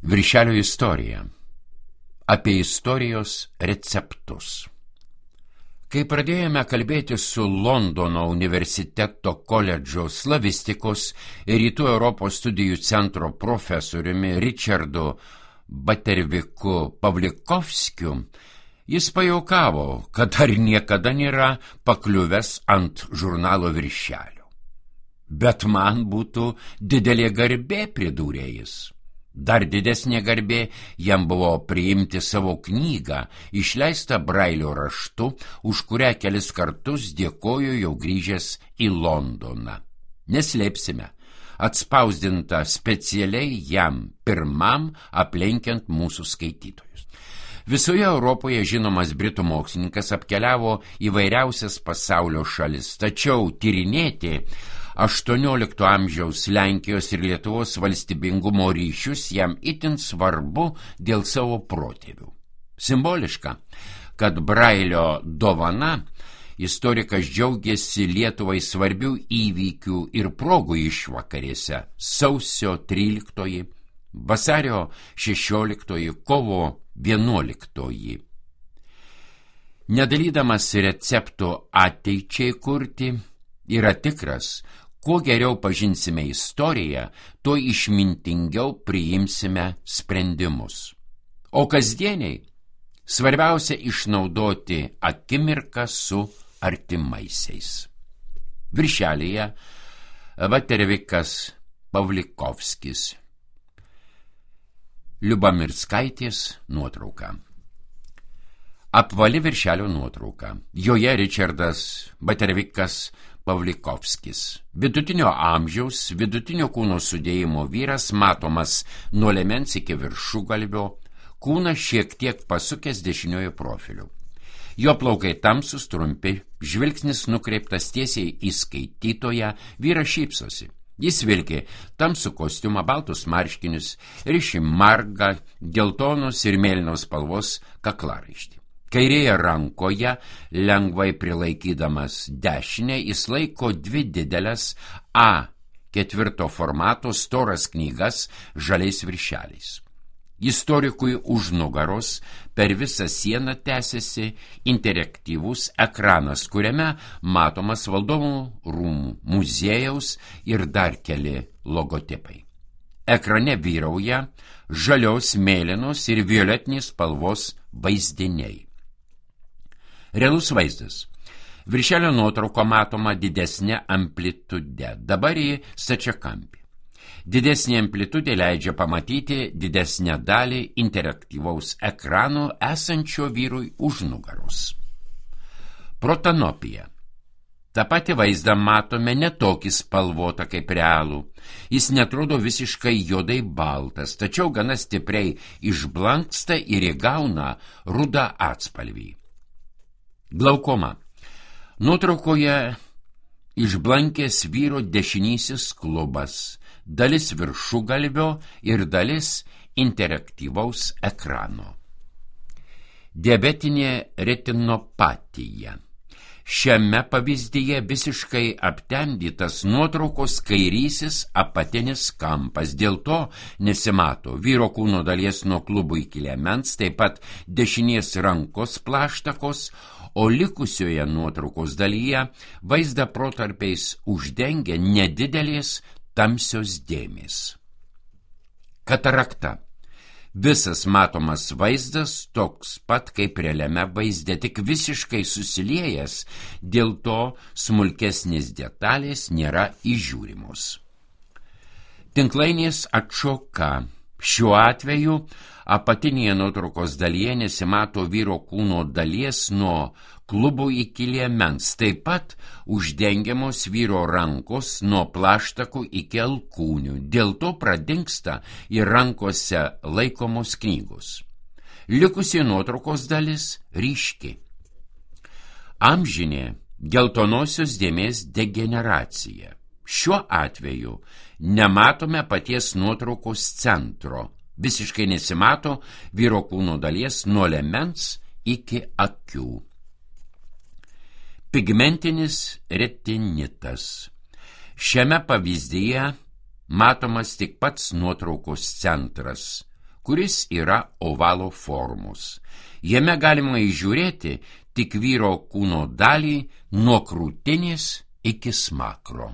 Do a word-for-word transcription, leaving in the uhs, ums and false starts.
Viršelio istorija. Apie istorijos receptus. Kai pradėjome kalbėti su Londono universiteto koledžo slavistikos ir Rytų Europos studijų centro profesoriumi Richardu Baterviku Pavlikovskiu, jis pajuokavo, kad dar niekada nėra pakliuvęs ant žurnalo viršelio. Bet man būtų didelė garbė, pridūrė jis. Dar didesnė garbė jam buvo priimti savo knygą, išleistą Brailio raštu, už kurią kelis kartus dėkoju jau grįžęs į Londoną. Neslėpsime, atspausdinta specialiai jam pirmam aplenkiant mūsų skaitytojus. Visoje Europoje žinomas britų mokslininkas apkeliavo įvairiausias pasaulio šalis, tačiau tyrinėti aštuoniolikto amžiaus Lenkijos ir Lietuvos valstybingumo ryšius jam itin svarbu dėl savo protėvių. Simboliška, kad Brailio dovana istorikas džiaugiasi Lietuvai svarbių įvykių ir progų išvakarėse: sausio tryliktoji, vasario šešioliktoji, kovo vienuoliktoji. Nedalydamas receptų ateičiai kurti, yra tikras, kuo geriau pažinsime istoriją, tuo išmintingiau priimsime sprendimus. O kasdieniai svarbiausia išnaudoti akimirką su artimaisiais. Viršelyje Batervikas Pavlikovskis. Liubamirskaitės nuotrauka. Apvali viršelio nuotrauka. Joje Richardas Batervikas Pavlikovskis. Vidutinio amžiaus, vidutinio kūno sudėjimo vyras, matomas nuo liemens iki viršugalvio, kūnas šiek tiek pasukęs dešiniojo profiliu. Jo plaukai tamsūs, trumpi, žvilgsnis nukreiptas tiesiai į skaitytoją, vyras šypsosi. Jis vilki tamsų kostiumą, baltus marškinius, riši margą, geltonos ir mėlynos spalvos kaklaraištį. Kairėje rankoje, lengvai prilaikydamas dešinę, jis laiko dvi didelės A ketvirto formato storas knygas žaliais viršeliais. Istorikui už nugaros per visą sieną tęsiasi interaktyvus ekranas, kuriame matomas Valdovų rūmų muziejaus ir dar keli logotipai. Ekrane vyrauja žalios, mėlynos ir violetinės spalvos vaizdiniai. Realus vaizdas. Viršelio nuotrauko matoma didesnė amplitude, dabar į stačiakampį. Didesnė amplitudė leidžia pamatyti didesnę dalį interaktyvaus ekrano esančio vyrui už nugaros. Protanopija. Ta pati vaizdą matome ne tokį spalvotą kaip realų. Jis netrodo visiškai juodai baltas, tačiau gana stipriai išblanksta ir įgauna rudą atspalvį. Glaukoma. Nuotraukoje išblankęs vyro dešinysis klubas, dalis viršugalvio ir dalis interaktyvaus ekrano. Diabetinė retinopatija. Šiame pavyzdyje visiškai aptemdytas nuotraukos kairysis apatinis kampas, dėl to nesimato vyro kūno dalies nuo klubų iki liemens, taip pat dešinės rankos plaštakos, o likusioje nuotraukos dalyje vaizdą protarpiais uždengia nedidelės tamsios dėmės. Katarakta. Visas matomas vaizdas toks pat kaip realiame vaizde, tik visiškai susiliejęs, dėl to smulkesnės detalės nėra įžiūrimos. Tinklainės atšoka. Šiuo atveju apatinėje nuotraukos dalyje nesimato vyro kūno dalies nuo klubų iki liemens, taip pat uždengiamos vyro rankos nuo plaštakų iki alkūnių, dėl to pradingsta ir rankose laikomos knygos. Likusi nuotraukos dalis ryški. Amžinė geltonosios dėmės degeneracija. Šiuo atveju nematome paties nuotraukos centro, visiškai nesimato vyro kūno dalies nuo liemens iki akių. Pigmentinis retinitas. Šiame pavyzdyje matomas tik pats nuotraukos centras, kuris yra ovalo formos. Jame galima įžiūrėti tik vyro kūno dalį nuo krūtinės iki smakro.